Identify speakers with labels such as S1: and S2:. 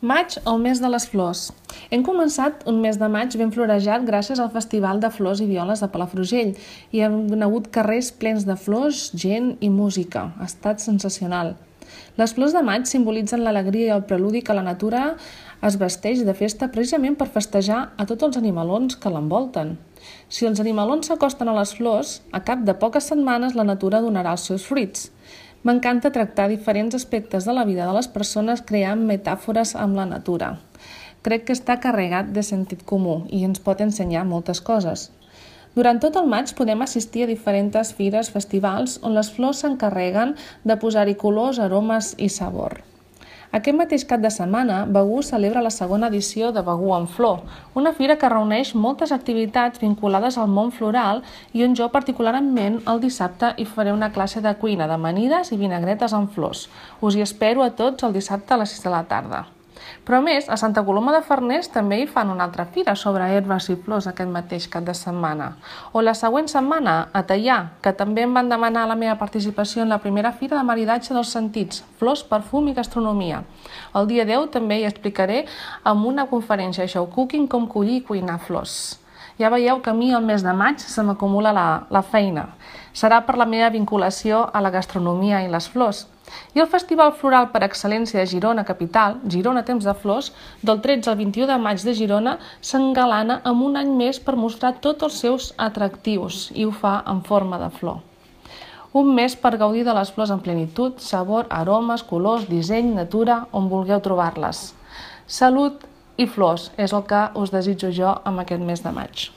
S1: Maig, el mes de les flors. Hem començat un mes de maig ben florejat gràcies al Festival de Flors i Violes de Palafrugell i hem hagut carrers plens de flors, gent i música. Ha estat sensacional. Les flors de maig simbolitzen l'alegria i el preludi que la natura es vesteix de festa precisament per festejar a tots els animalons que l'envolten. Si els animalons s'acosten a les flors, a cap de poques setmanes la natura donarà els seus fruits. M'encanta tractar diferents aspectes de la vida de les persones creant metàfores amb la natura. Crec que està carregat de sentit comú i ens pot ensenyar moltes coses. Durant tot el maig podem assistir a diferents fires, festivals, on les flors s'encarreguen de posar-hi colors, aromes i sabor. Aquest mateix cap de setmana, Begur celebra la segona edició de Begur en Flor, una fira que reuneix moltes activitats vinculades al món floral i on jo particularment el dissabte hi faré una classe de cuina d'amanides i vinagretes amb flors. Us hi espero a tots el dissabte a les 6 de la tarda. Però a més, a Santa Coloma de Farners també hi fan una altra fira sobre herbes i flors aquest mateix cap de setmana. O la següent setmana, a Teià, que també em van demanar la meva participació en la primera fira de maridatge dels sentits, flors, perfum i gastronomia. El dia 10 també hi explicaré amb una conferència Show Cooking com collir i cuinar flors. Ja veieu que a mi el mes de maig se m'acumula la feina. Serà per la meva vinculació a la gastronomia i les flors. I el Festival Floral per Excel·lència de Girona Capital, Girona Temps de Flors, del 13 al 21 de maig de Girona, s'engalana amb un any més per mostrar tots els seus atractius i ho fa en forma de flor. Un mes per gaudir de les flors en plenitud, sabor, aromes, colors, disseny, natura, on vulgueu trobar-les. Salut i flors és el que us desitjo jo amb aquest mes de maig.